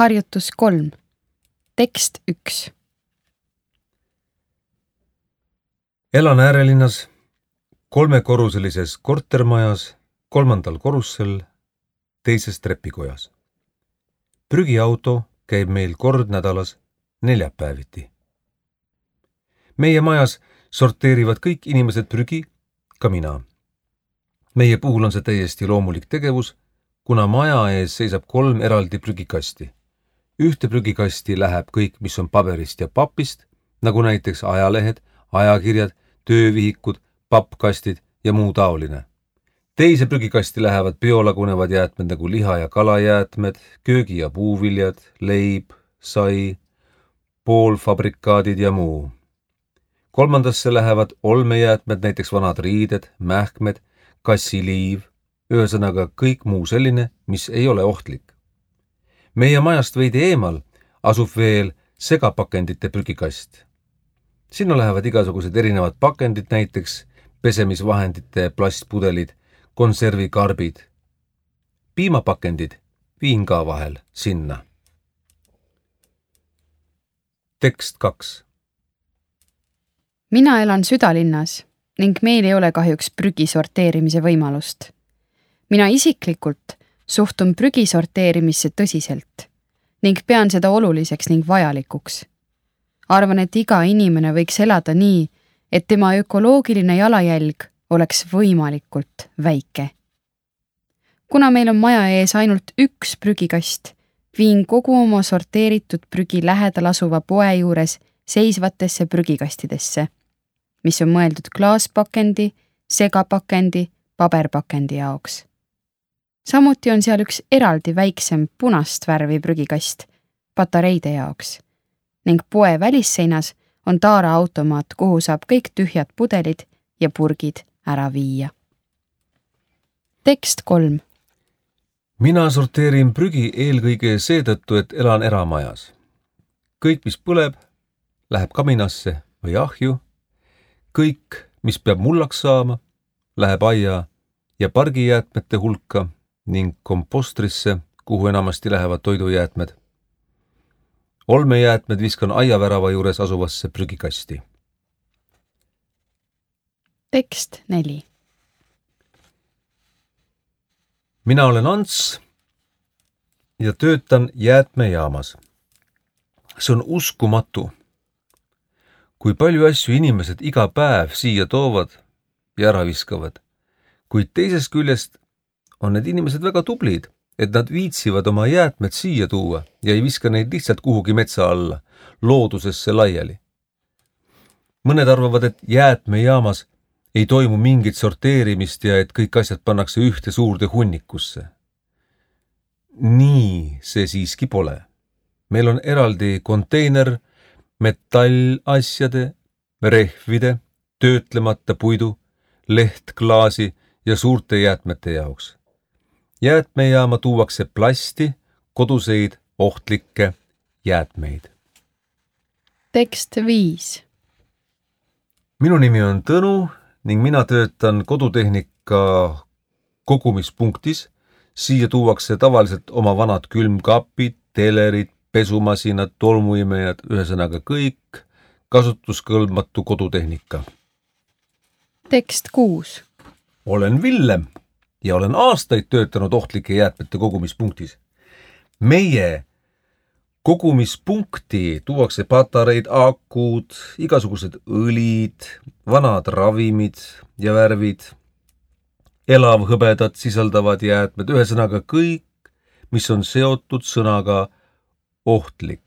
Harjutus 3. Tekst 1. Elan äärelinnas 3-korruselises kortermajas 3. korrussel 2. trepikojas. Prügiauto käib meil kord nädalas neljapäeviti. Meie majas sorteerivad kõik inimesed prügi, ka mina. Meie puhul on see täiesti loomulik tegevus, kuna maja ees seisab 3 eraldi prügikasti. Ühte prügikasti läheb kõik, mis on paberist ja papist, nagu näiteks ajalehed, ajakirjad, töövihikud, pappkastid ja muu taoline. Teise prügikasti lähevad biolagunevad jäätmed nagu liha- ja kalajäätmed, köögi- ja puuviljad, leib, sai, poolfabrikaadid ja muu. 3. lähevad olmejäätmed, näiteks vanad riided, mähkmed, kassiliiv, ühesõnaga kõik muu selline, mis ei ole ohtlik. Meie majast veidi eemal asub veel segapakendite prügikast. Sinna lähevad igasugused erinevad pakendid, näiteks pesemisvahendite plastpudelid, konservikarbid. Piimapakendid viin ka vahel sinna. Tekst 2. Mina elan südalinnas ning meil ei ole kahjuks prügi sorteerimise võimalust. Mina isiklikult suhtun prügi sorteerimisse tõsiselt ning pean seda oluliseks ning vajalikuks. Arvan, et iga inimene võiks elada nii, et tema ökoloogiline jalajälg oleks võimalikult väike. Kuna meil on maja ees ainult üks prügikast, viin kogu oma sorteeritud prügi lähedal asuva poe juures seisvatesse prügikastidesse, mis on mõeldud klaaspakendi, segapakendi, paberpakendi jaoks. Samuti on seal üks eraldi väiksem punast värvi prügikast patareide jaoks ning poe välisseinas on taaraautomaat, kuhu saab kõik tühjad pudelid ja purgid ära viia. Tekst 3. Mina sorteerin prügi eelkõige seetõttu, et elan eramajas. Kõik, mis põleb, läheb kaminasse või ahju. Kõik, mis peab mullaks saama, läheb aia ja pargijäätmete hulka ning kompostrisse, kuhu enamasti lähevad toidujäätmed. Olmejäätmed viskan aiavärava juures asuvasse prügikasti. Tekst 4. Mina olen Ants ja töötan jäätmejaamas. See on uskumatu, kui palju asju inimesed iga päev siia toovad ja ära viskavad, kuid teisest küljest on need inimesed väga tublid, et nad viitsivad oma jäätmed siia tuua ja ei viska neid lihtsalt kuhugi metsa alla, loodusesse laiali. Mõned arvavad, et jäätmejaamas ei toimu mingit sorteerimist ja et kõik asjad pannakse ühte suurde hunnikusse. Nii see siiski pole. Meil on eraldi konteiner metallasjade, rehvide, töötlemata puidu, lehtklaasi ja suurte jäätmete jaoks. Jäätmejaama tuuakse plasti, koduseid, ohtlikke jäätmeid. Tekst 5. Minu nimi on Tõnu ning mina töötan kodutehnika kogumispunktis. Siia tuuakse tavaliselt oma vanad külmkapid, telerid, pesumasinad, tolmuimejad, ühesõnaga kõik kasutuskõlbmatu kodutehnika. Tekst 6. Olen Villem ja olen aastaid töötanud ohtlike jäätmete kogumispunktis. Meie kogumispunkti tuuakse patareid, akud, igasugused õlid, vanad ravimid ja värvid, elavhõbedat sisaldavad jäätmed, ühesõnaga kõik, mis on seotud sõnaga ohtlik.